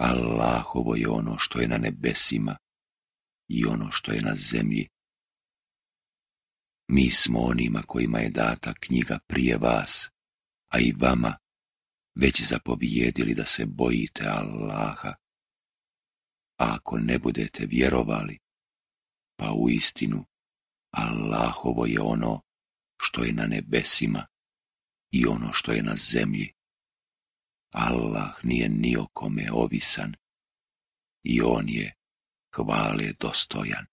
Allahovo je ono što je na nebesima i ono što je na zemlji. Mi smo onima kojima je data knjiga prije vas, a i vama već zapovijedili da se bojite Allaha. A ako ne budete vjerovali, pa uistinu Allahovo je ono što je na nebesima i ono što je na zemlji. Allah nije ni o kome ovisan i on je hvale dostojan.